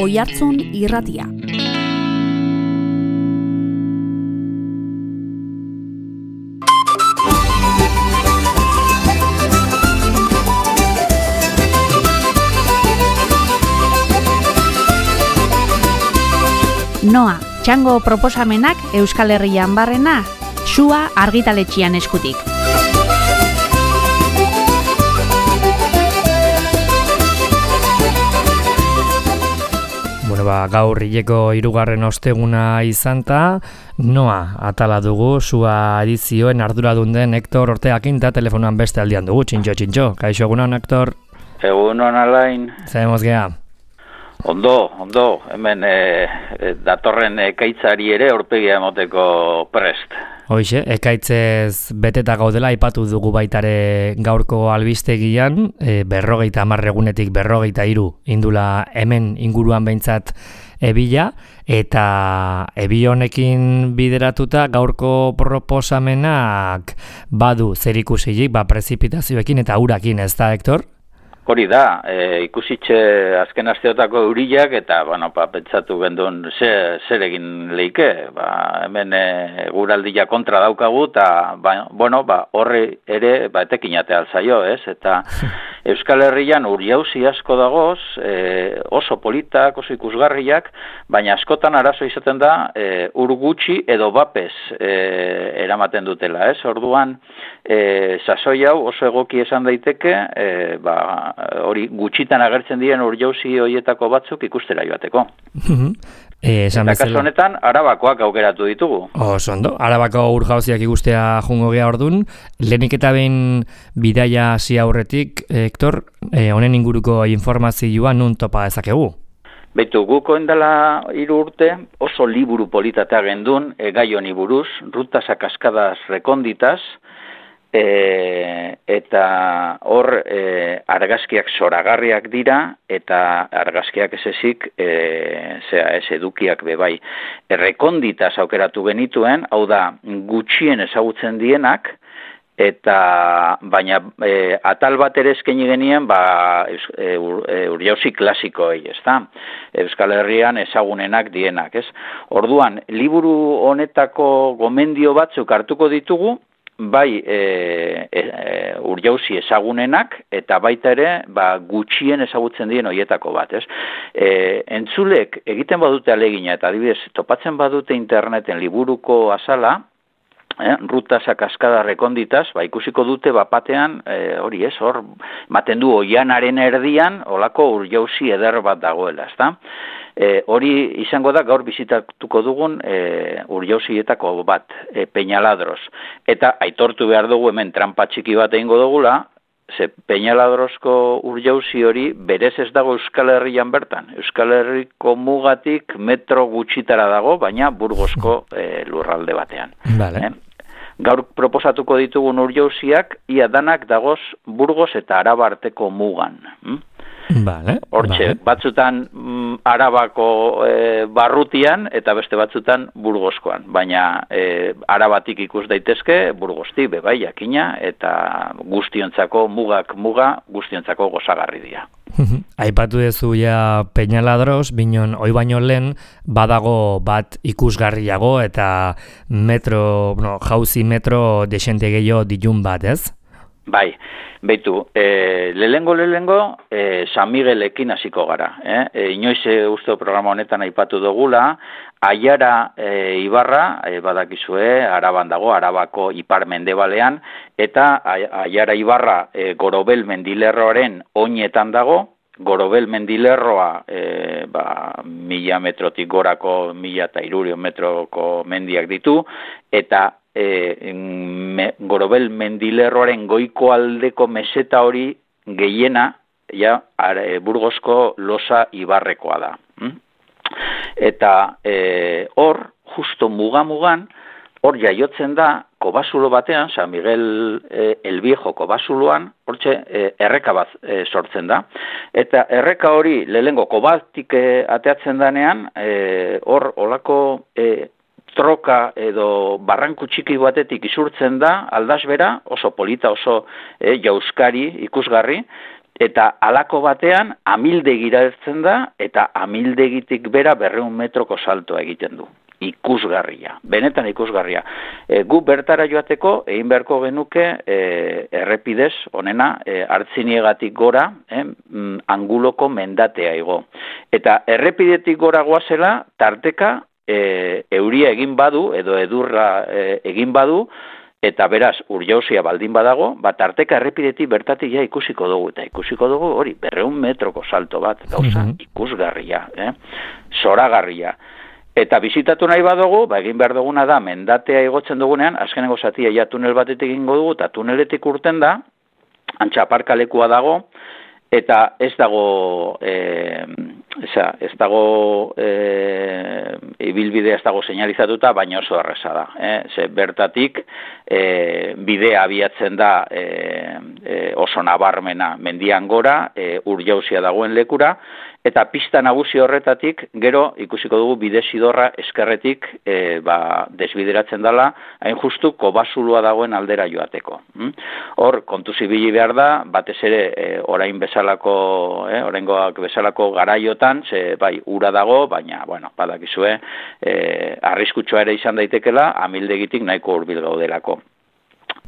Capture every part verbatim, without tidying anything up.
Oihartzun Irratia. Noa, txango proposamenak Euskal Herrian barrena, Sua argitaletxean eskutik. Bueno, ba, gaur hileko hirugarren osteguna izanta, Noa atala dugu, Sua edizioen arduradun den Hector Ortegakin eta telefonoan beste aldian dugu, txintxo, txintxo. Kaixo egunon, Hector? Egunon, Alain. Zahemoz geha? Ondo, ondo, hemen e, e, datorren ekaitzari ere aurpegia emoteko prest. Hoixe, ekaitzez beteta gaudela aipatu dugu baitare gaurko albistegian, e, berrogeita hamar egunetik berrogeita hiru indula hemen inguruan behintzat ebila, eta ebi honekin bideratuta gaurko proposamenak badu zerikusilik, ba prezipitazioekin eta urakin, ez da, Hector? Hori da, e, ikusitxe azken asteotako euriak eta, bueno, pa, pentsatu gendun ze, zer egin leike, ba, hemen e, guraldia kontra daukagu, eta, ba, bueno, ba, horre ere, ba, etekin atea alzaio, ez? Eta Euskal Herrian uriauzi asko dagoz, e, oso politak, oso ikusgarriak, baina askotan arazo izaten da, e, ur gutxi edo bapez e, eramaten dutela, ez? Orduan, e, sasoi hau oso egoki esan daiteke, e, ba, hori gutxitan agertzen diren urjauzi horietako batzuk ikustera joateko. e, esan eta kasu honetan, Arabakoak aukeratu ditugu. Oso ondo, Arabako urjauziak ikustea jungo gea ordun, lehenik eta behin bidaia hasi aurretik, Hector, honen e, inguruko informazioa nun topa dezakegu? Beitu, guko endala hiru urte oso liburu politatea gendun, e, gai honi buruz, rutas a cascadas reconditas, E, eta hor e, argazkiak zoragarriak dira eta argazkiak ez ezik e, zera ez edukiak bebai errekonditas aukeratu genituen, hau da gutxien ezagutzen dienak eta baina e, atal bat ere eskaini genien ba e, ur, e, urjauzi klasikoei, ezta? Euskal Herrian ezagunenak dienak, ez? Orduan, liburu honetako gomendio batzuk hartuko ditugu, bai e, e, urjauzi ezagunenak eta baita ere ba, gutxien ezagutzen dien horietako bat, ez? E, entzulek egiten badute alegina eta adibidez topatzen badute interneten liburuko azala, eh, rutas a cascada reconditas, ba, ikusiko dute bapatean, e, hori ez, hor, maten du oianaren erdian, olako urjauzi eder bat dagoela, ezta? E, hori izango da gaur bizitatuko dugun e, urjauzietako bat, e, Peñaladros. Eta aitortu behar dugu hemen trampa txiki bat egingo dugula, ze Peñaladrosko urjauzi hori berez ez dago Euskal Herrian bertan. Euskal Herriko mugatik metro gutxitara dago, baina Burgosko e, lurralde batean. Vale. E, gaur proposatuko ditugun urjauziak, ia danak dagoz Burgos eta Araba arteko mugan. Hm? Vale, Hortxe, vale. batzutan mm, Arabako e, barrutian eta beste batzutan Burgoskoan, baina e, Arabatik ikus daitezke, Burgosti bebai jakina eta guztiontzako mugak muga, guztiontzako gozagarri dira. Aipatu dezu ja Peñaladros, binon hoi baino lehen badago bat ikusgarriago eta metro, no, jauzi metro desente gehiago ditun bat, ez? Bai, beitu, e, lehengo lehengo e, San Miguelekin hasiko gara. Eh? E, inoiz e, uste programa honetan aipatu dugula, Aiara e, Ibarra, e, badakizue, Araban dago, Arabako ipar mendebalean, eta Aiara Ibarra e, Gorobel mendilerroaren oinetan dago, Gorobel mendilerroa e, ba, mila metrotik gorako, mila eta hirurion metroko mendiak ditu, eta E, me, Gorobel mendilerroaren goiko aldeko meseta hori gehiena ja, are, Burgosko Losa Ibarrekoa da. Hm? Eta e, hor, justo muga-mugan, hor jaiotzen da, Kobasulo batean, San Miguel e, el Viejo Kobasuloan, hortxe e, erreka bat e, sortzen da. Eta erreka hori lehengo kobatik e, ateatzen danean, e, hor olako e, troka edo barranku txiki batetik isurtzen da, aldasbera, oso polita, oso e, jauskari, ikusgarri, eta halako batean amildegira ertzen da, eta amildegitik bera berreun metroko saltoa egiten du. Ikusgarria, benetan ikusgarria. E, gu bertara joateko, egin beharko genuke e, errepidez, onena, e, hartziniegatik gora, e, anguloko mendatea igo. Eta errepidetik gora goazela, tarteka, e, euria egin badu, edo edurra e, egin badu, eta beraz, urjauzia baldin badago, bat tarteka errepidetik bertatik ja ikusiko dugu, eta ikusiko dugu hori, berreun metroko salto bat, gauza, ikusgarria, eh? Zoragarria. Eta bizitatu nahi badugu, ba egin behar duguna da, mendatea igotzen dugunean, azkenengo zatia ja tunel batetik egingo dugu, eta tuneletik urten da, antxa aparkalekua dago, eta ez dago, e, eza, ez dago e, ibilbidea ez dago seinalizatuta, baina oso erreza da. Eh? Ze bertatik e, bidea abiatzen da e, e, oso nabarmena mendian gora, e, urjauzia dagoen lekura, eta pista nagusi horretatik, gero ikusiko dugu bidezidorra eskerretik e, ba, desbideratzen dela, hain justu kobazulua dagoen aldera joateko. Hor, kontu zibili behar da, batez ere e, orain bezalako, e, oraingoak bezalako garaiotan, ze bai, ura dago, baina, bueno, badakizue, e, arriskutsua ere izan daitekela, amildegitik nahiko hurbil gaudelako.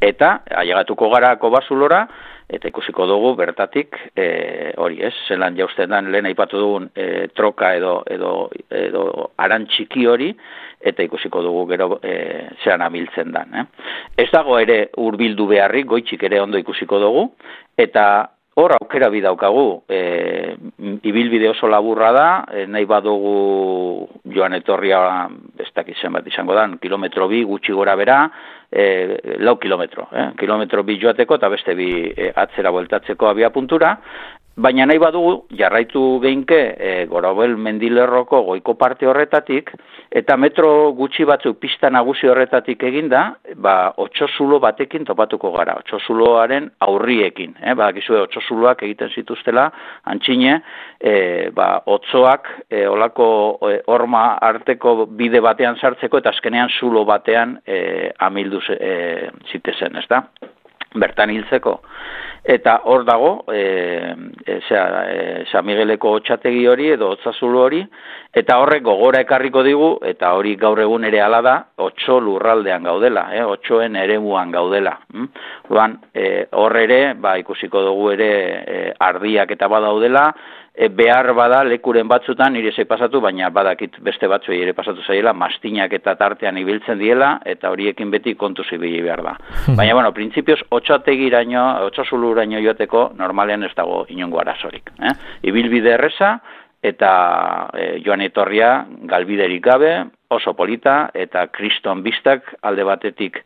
Eta, ailegatuko gara kobazulora, eta ikusiko dugu bertatik e, hori ez, zelan jausten dan lehen aipatu dugun e, troka edo, edo, edo aran txiki hori, eta ikusiko dugu gero e, zean amiltzen dan. Eh? Ez dago ere hurbildu beharrik, goitxik ere ondo ikusiko dugu, eta hor aukera bidaukagu, e, ibilbide oso laburra da, e, nahi badugu joan etorria, ez dakit zenbat izango dan, kilometro bi, gutxi gora bera, e, lau kilometro, eh? kilometro bi joateko eta beste bi e, atzera bueltatzeko abia puntura, baina nahi badugu jarraitu geinke e, Gorobel mendilerroko goiko parte horretatik, eta metro gutxi batzuk pista nagusi horretatik eginda, ba, otsozulo batekin topatuko gara, otsozuloaren aurriekin. Eh? Badakizue otsozuloak egiten zituztela, antxine, e, ba, otsoak e, olako e, horma arteko bide batean sartzeko, eta azkenean zulo batean e, amildu e, zitezen, ez da? Bertan hiltzeko. Eta hor dago, e, e, zera, e, San Migueleko otxategi hori edo otzazulo hori, eta horrek gogora ekarriko digu, eta hori gaur egun ere hala da, otso lurraldean gaudela, eh, otsoen eremuan gaudela. Hm? Luan, e, hor ere, ba, ikusiko dugu ere e, ardiak eta badaudela, e, behar bada lekuren batzutan nire zei pasatu, baina badakit beste batzuei ere pasatu zaiela, mastinak eta tartean ibiltzen diela, eta horiekin beti kontu zibili behar da. Baina, bueno, printzipioz, otxategiraino, otxazuluraino joateko, normalean ez dago inongo arazorik. Eh? Ibilbide erreza, eta e, joan etorria galbiderik gabe, oso polita, eta kriston biztak alde batetik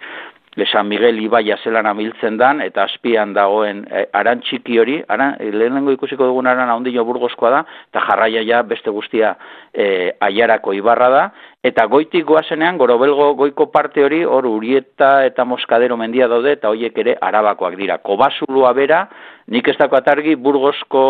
Le San Miguel ibaia zelan amiltzen dan, eta azpian dagoen e, aran txiki hori, aran, lehenengo ikusiko dugun aran ahondino burgozkoa da, eta jarraia ja beste guztia e, aiarako ibarra da, eta goitik goazenean, Gorobelgo goiko parte hori, hor Urieta eta Moskadero mendia daude, eta horiek ere arabakoak dira. Kobazulua bera, nik ez dako atargi Burgozko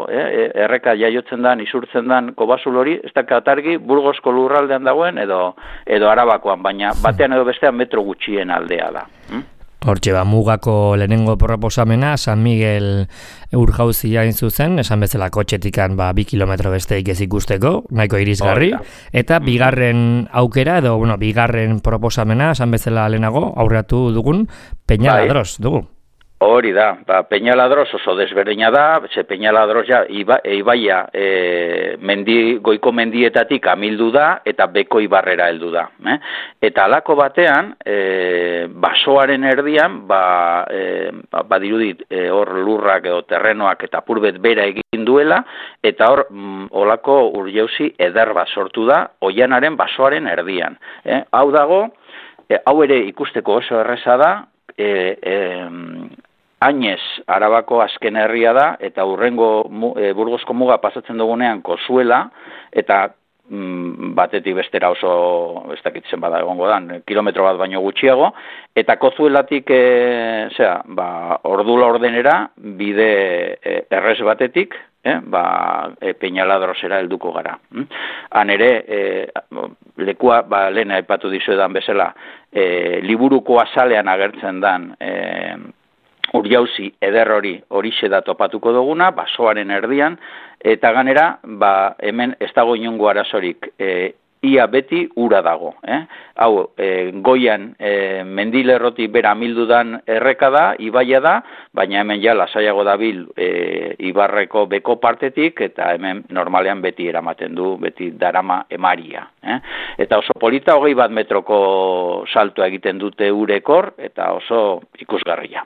eh, erreka jaiotzen dan, isurtzen dan Kobazul hori, ez dako atargi Burgozko lurraldean dagoen edo, edo arabakoan, baina batean edo bestean metro gutxien aldea da. Hm? Hortxe, ba, mugako lehenengo proposamena, San Miguel urjauzia hain zuzen, esan bezala kotxetikan ba, bi kilometro besteik ez ikusteko, nahiko irisgarri, eta bigarren aukera, edo, bueno, bigarren proposamena, esan bezala lehenago, aurratu dugun, Peñaladros, dugu. Hori da, ba, Peñaladros oso desberdina da, ze Peñaladros ja iba, ibaia e, mendi, goiko mendietatik amildu da eta beko ibarrera heldu da. Eh? Eta halako batean, e, basoaren erdian, ba, e, ba, badirudit e, hor lurrak edo terrenoak eta purbet bera egin duela, eta hor mm, olako urjauzi eder bat sortu da, oianaren basoaren erdian. Eh? Hau dago, e, hau ere ikusteko oso erreza da, e, e, Añez, Arabako azken herria da, eta urrengo e, Burgozko muga pasatzen dugunean Kozuela, eta mm, batetik bestera oso, ez dakitzen bada egongo dan, kilometro bat baino gutxiago, eta Kozuelatik, e, zera, ba, ordula ordenera, bide e, errez batetik, eh, ba, e, Peñaladrosera helduko gara. Hm? Han ere, e, lekua, ba, lehen aipatu dizuedan bezala, e, liburuko azalean agertzen dan, e, urjauzi eder hori horixe da topatuko duguna, basoaren erdian, eta ganera, ba, hemen ez dago inongo arazorik, e, ia beti ura dago. Eh? Hau, e, goian e, mendilerroti bera amildudan erreka da, ibaia da, baina hemen ja lasaiago dabil e, ibarreko beko partetik, eta hemen normalean beti eramaten du, beti darama emaria. Eh? Eta oso polita hogei bat metroko saltoa egiten dute urekor, eta oso ikusgarria.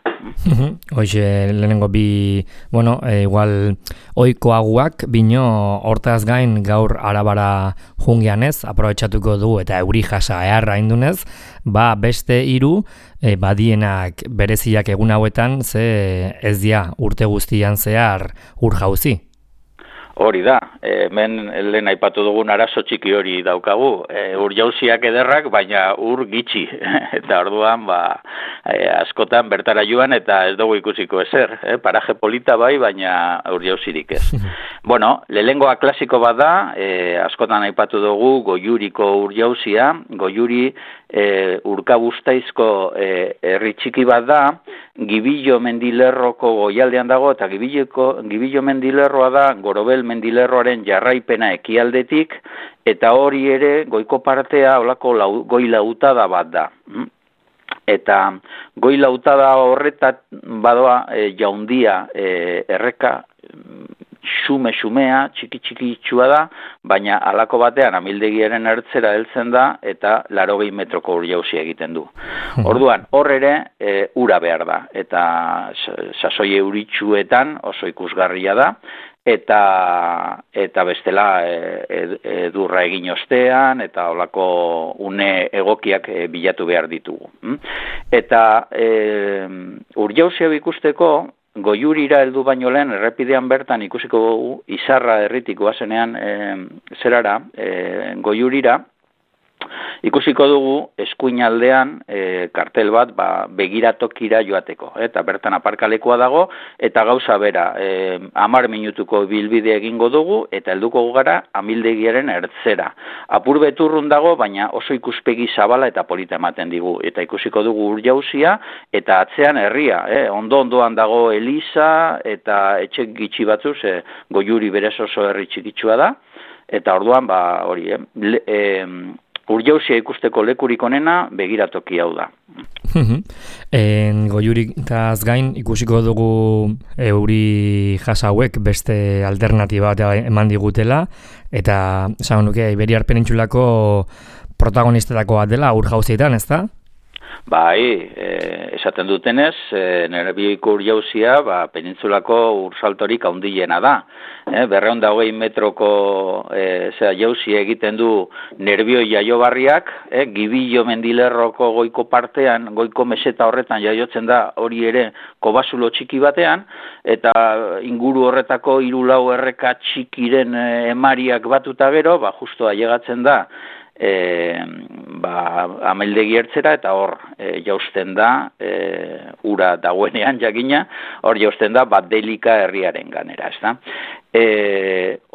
Hoxe, lehenengo bi, bueno, e, igual oikoaguak, bino hortaz gain gaur arabara jungian ez, aprobetxatuko du eta euri jasa eharra indunez, ba beste hiru e, badienak bereziak egun hauetan, ze ez dia urte guztian zehar ur jauzi. Hori da, hemen lehen aipatu dugun arazo txiki hori daukagu, e, ur jauziak ederrak, baina ur gitxi, eta orduan ba, e, askotan bertara joan eta ez dugu ikusiko ezer, e, paraje polita bai, baina ur jauzirik ez. Bueno, lehengoa klasiko bat da, e, askotan aipatu dugu Goiuriko ur jauzia, Goiuri e, urkabuztaizko e, herri txiki bat da, Gibillo mendilerroko goialdean dago, eta Gibillo mendilerroa da Gorobel mendilerroaren jarraipena ekialdetik, eta hori ere goiko partea olako lau, goi lautada bat da. Eta goi lautada horretat badoa e, jaundia e, erreka xume-xumea, txiki-txiki itxua da, baina halako batean amildegiaren ertzera heltzen da eta laurogei metroko ur jauzia egiten du. Orduan, hor ere e, ura behar da, eta sasoi euritsuetan oso ikusgarria da, eta eta bestela edurra egin ostean, eta holako une egokiak e, bilatu behar ditugu. Eta e, ur jauzia ikusteko, Goiurira heldu baino lehen errepidean bertan ikusiko dugu Izarra herritik goazenean e, zerara, e, Goiurira, ikusiko dugu eskuinaldean e, kartel bat ba, begiratokira joateko. Eta bertan aparkalekoa dago, eta gauza bera, e, hamar minutuko bilbide egingo dugu, eta helduko gara amildegiaren ertzera. Apur beturrun dago, baina oso ikuspegi zabala eta polita ematen digu. Eta ikusiko dugu ur jauzia, eta atzean herria. Eh? Ondo-ondoan dago Eliza, eta etxe gitxi batzuz, e, Goiuri berez oso herri txikitsua da, eta orduan, ba, hori, eh? Le, e, ur jauzia ikusteko lekurik onena begiratoki hau da. En Goiuritaz gain ikusiko dugu euri jasa hauek beste alternatiba bat eman digutela, eta esan nuke Iberiar Penintsulako protagonistetako bat dela ur jauzietan, ez da? Bai, e, esaten dutenez, e, Nerbioiko ur jauzia ba, penintsulako ursaltorik handiena da. E, berrehun eta hogei metroko e, jauzi egiten du Nerbioi jaiobarriak, e, Gibillo mendilerroko goiko partean, goiko meseta horretan jaiotzen da hori ere kobasulo txiki batean, eta inguru horretako hiru lau erreka txikiren e, emariak batuta gero, ba, justo ailegatzen da, E, ba, ameldegi ertzera, eta hor e, jausten da e, ura dagoenean jakina, hor jausten da bat delika herriaren ganera, ez da? E,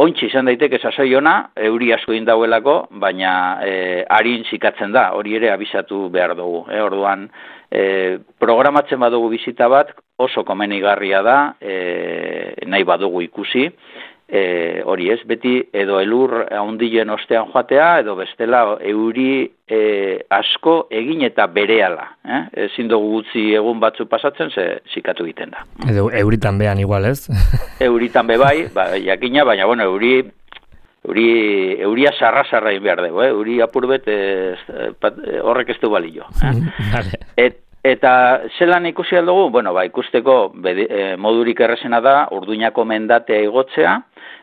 Ontsi izan daiteke sasoi ona, euri asko indauelako, baina e, arin zikatzen da, hori ere abisatu behar dugu. E, orduan, e, programatzen badugu bizita bat, oso komenigarria da, e, nahi badugu ikusi, E, hori ez, beti edo elur handilen ostean joatea, edo bestela euri e, asko egin eta berehala. Eh? Ezin dugu gutxi egun batzu pasatzen, ze zikatu egiten da. Edo euritan behan igual ez? Euritan be bai, ba, jakina, baina bueno, euri, euri, euria sarra-sarra egin behar dugu, eh? Euri apurbet ez, horrek ez du balio. Eh? Vale. Et, Eta zelan ikusi aldugu? Bueno, ba, ikusteko bede, e, modurik errezena da Urduñako mendatea igotzea,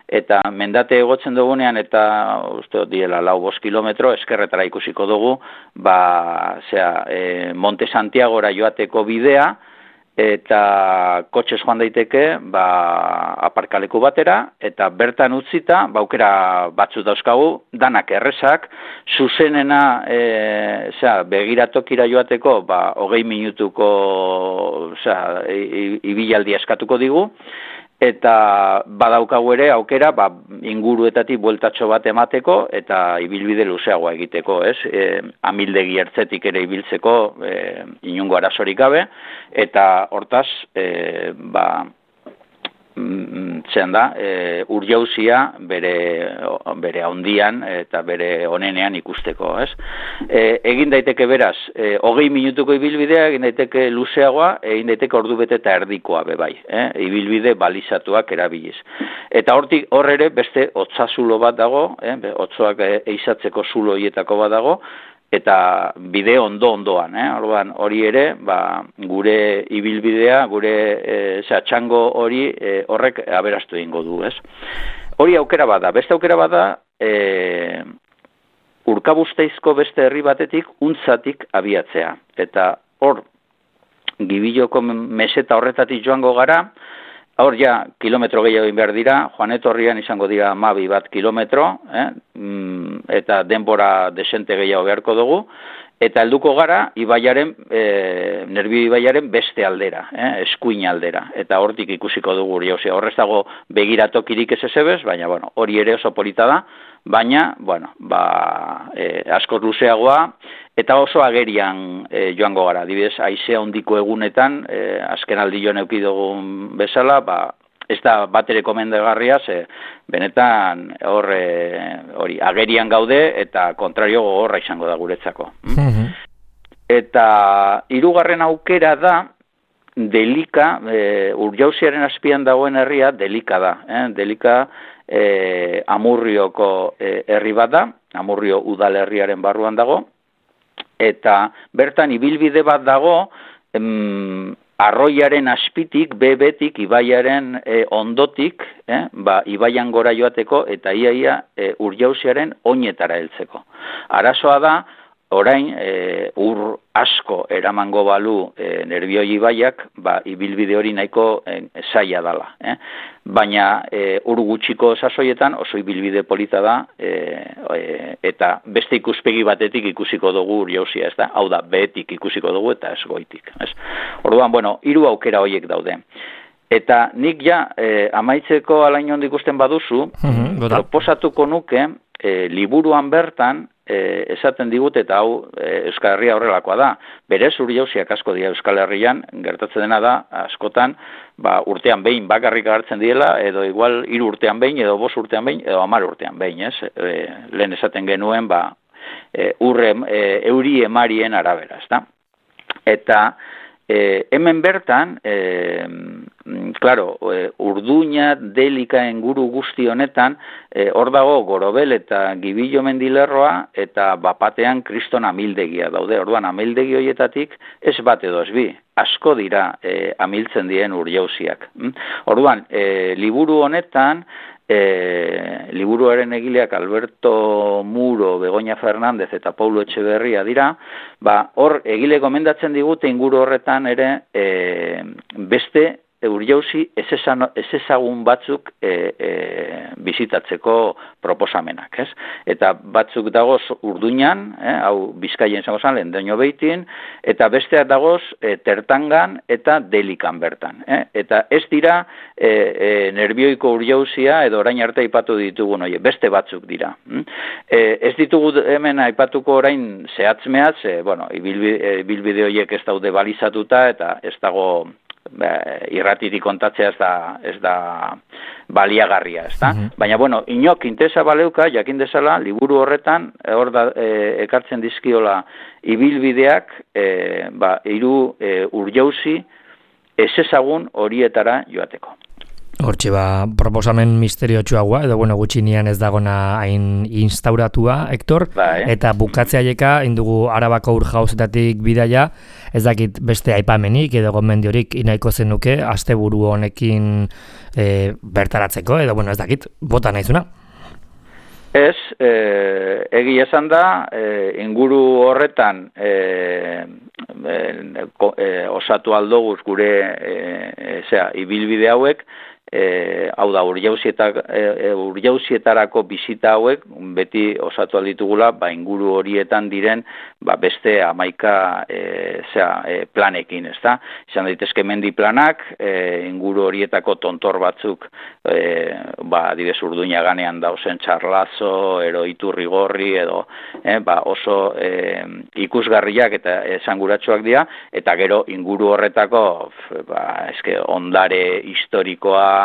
eta mendate egotzen dugunean, eta uste diela lau bost kilometro, eskerretara ikusiko dugu, ba, zera, e, Monte Santiagora joateko bidea, eta kotxez joan daiteke ba, aparkaleku batera, eta bertan utzita, baukera batzu dauzkagu, danak errezak, zuzenena e, zera, begiratokira joateko ba, hogei minutuko zera, ibilaldi eskatuko digu, eta badaukagu ere aukera ba, inguruetatik bueltatxo bat emateko eta ibilbide luzeagoa egiteko, ez? E, amildegi ertzetik ere ibiltzeko e, inungo arazorik gabe, eta hortaz, e, ba, zean da, e, urjauzia bere, bere handian eta bere onenean ikusteko, ez? E, egin daiteke beraz, e, hogei minutuko ibilbidea, egin daiteke luzeagoa, egin daiteke ordu bete eta erdikoa bebai, eh? Ibilbide balizatuak erabiliz. Eta hortik hor ere beste hotzazulo bat dago, eh? Hotzoak eizatzeko zulo hietako bat dago, eta bide ondo-ondoan, eh? Orduan, hori ere, ba, gure ibilbidea, gure e, txango hori e, horrek aberastu egingo du, ez? Hori aukera bada, beste aukera bada, e, Urkabustezko beste herri batetik, untzatik abiatzea. Eta hor, Gibiloko meseta horretatik joango gara, hor ja, kilometro gehiago egin behar dira, joan etorrian izango dira mabi bat kilometro, eh? mm, eta denbora desente gehiago beharko dugu, eta helduko gara, ibaiaren, e, Nerbio ibaiaren beste aldera, eh? Eskuin aldera, eta hortik ikusiko dugu hori, osea, horrez dago begiratokirik ez ezebez, baina, bueno, hori ere oso polita da, baina, bueno, ba, e, askoz luzeagoa, eta oso agerian e, joango gara, adibidez, haizea hondiko egunetan, e, azken aldi joan eduki dugun bezala, ba, ez da bat ere komendagarria, ze benetan hor hori agerian gaude eta kontrario gogorra izango da guretzako. Mm-hmm. Eta hirugarren aukera da Delika, e, Urjauziaren azpian dagoen herria Delika da. Eh? Delika e, Amurrioko e, herri bat da, Amurrio udalerriaren barruan dago, eta bertan ibilbide bat dago, em, arroiaren azpitik, bebetik, ibaiaren e, ondotik, eh, ba, ibaian gora joateko, eta iaia e, Urjauziaren oinetara heltzeko. Arazoa da, orain e, ur asko eramango balu e, Nerbioi ibaiak, ba, ibilbide hori nahiko e, zaila dala. Eh? Baina e, ur gutxiko sasoietan oso ibilbide polita da, e, e, eta beste ikuspegi batetik ikusiko dugu Urjauzia, ez da? Hau da, behetik ikusiko dugu eta ez goitik. Ez? Orduan, bueno, hiru aukera horiek daude. Eta nik ja, e, amaitzeko alain hon ikusten baduzu, mm-hmm, proposatuko nuke, e, liburuan bertan, E, esaten digut eta hau e, Euskal Herria horrelakoa da. Berez Urjauziak asko dira Euskal Herrian, gertatzen dena da, askotan, ba, urtean behin bakarrik agertzen diela, edo igual hiru urtean behin, edo bost urtean behin, edo hamar urtean behin, ez? E, lehen esaten genuen, ba, e, urre, e, euri emarien arabera, ez da? Eta e, hemen bertan, e, claro, e, Urduña, Delika inguru guzti honetan, e, hor dago Gorobel eta Gibillo mendilerroa eta bapatean Kriston amildegia daude. Orduan amildegi horietatik ez bat edo ez bi, asko dira e, amiltzen dien Urjauziak. Orduan, e, liburu honetan, E, liburuaren egileak Alberto Muro, Begoña Fernández eta Paulo Etxeberria dira, ba, hor egile gomendatzen digute inguru horretan ere e, beste Urjauzi ez ezagun batzuk e, e, bizitatzeko proposamenak, ez? Eta batzuk dagoz Urduñan, eh, hau Bizkaien zango zan, Lendoño Beitin, eta besteak dagoz e, Tertangan eta Delikan bertan. Eh? Eta ez dira e, e, Nerbioiko Urjauzia edo orain arte aipatu ditugun, oie, beste batzuk dira. E, ez ditugu hemen aipatuko orain zehatz-mehatz, e, bueno, ibilbide horiek ez daude balizatuta eta ez dago Ba, irratitik kontatzea ez da, ez da baliagarria, ez da? Mm-hmm. Baina, bueno, inok interesa baleuka, jakin dezala, liburu horretan, hor da, e, ekartzen dizkiola ibilbideak, e, ba, hiru e, Urjauzi ez ezagun horietara joateko. Hortxe ba, proposamen misteriotsuagoa, edo bueno, gutxinian ez dagona hain instauratua, Hector, bai. Eta bukatzea indugu Arabako Urjauzetatik bidaia, ez dakit beste aipamenik edo gomendiorik inaiko zenuke, asteburu honekin e, bertaratzeko, edo bueno, ez dakit, bota naizuna? Ez, e, egia esan da, e, inguru horretan e, e, e, osatu aldoguz gure e, e, zera, ibilbide hauek, E, hau da, urjauzietarako e, bisita hauek beti osatu alditugula, ba, inguru horietan diren ba, beste hamaika e, zera, e, planekin, ez da? Izan daitezke mendi planak, e, inguru horietako tontor batzuk, e, ba, adibez Urduña ganean dauzen Txarlazo, ero Iturrigorri, edo e, ba, oso e, ikusgarriak eta esanguratsuak dira, eta gero inguru horretako ba, eske, ondare historikoa,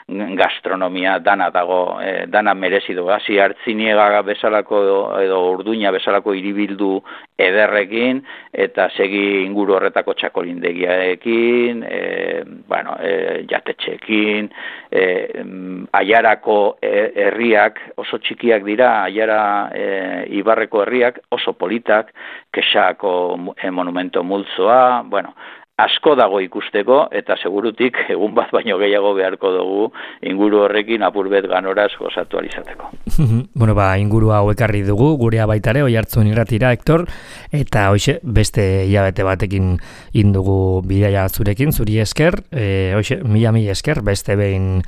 gastronomia dana dago, eh, dana merezi du. Hasi Artziniega bezalako edo, edo Urduña bezalako hiribildu ederrekin eta segi inguru horretako txakolindegiaekin, eh, bueno, eh, jatetxeekin, eh, Aiarako herriak oso txikiak dira, Aiara eh, Ibarreko herriak oso politak, Kexako eh, monumento multzoa, bueno, asko dago ikusteko, eta segurutik egun bat baino gehiago beharko dugu inguru horrekin apurbet ganoraz gozatu alizateko. Bueno, ba, inguru hau ekarri dugu, gurea baitare, Oiartzun irratira, Hector, eta hoxe, beste hilabete batekin indugu bidaia zurekin, zuri esker, e, hoxe, mila mila esker, beste behin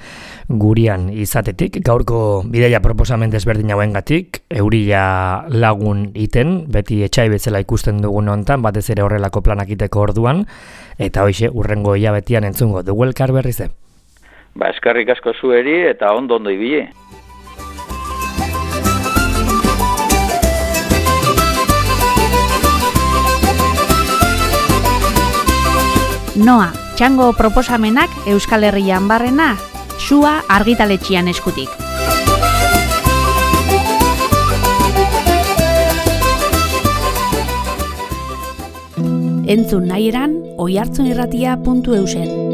gurian izatetik, gaurko bidaia proposamen desberdin hauengatik, eurila lagun iten, beti etxai bezala ikusten dugun hontan, batez ere horrelako planak iteko orduan, eta hoxe, urrengo hilabetian entzungo, dugu elkar berriz de? Ba, eskarrik asko zueri eta ondo ondo ibili. Noa, txango proposamenak Euskal Herrian barrena, Sua argitaletxian eskutik. Entzun nahi eran, oiartzunirratia puntu eusen.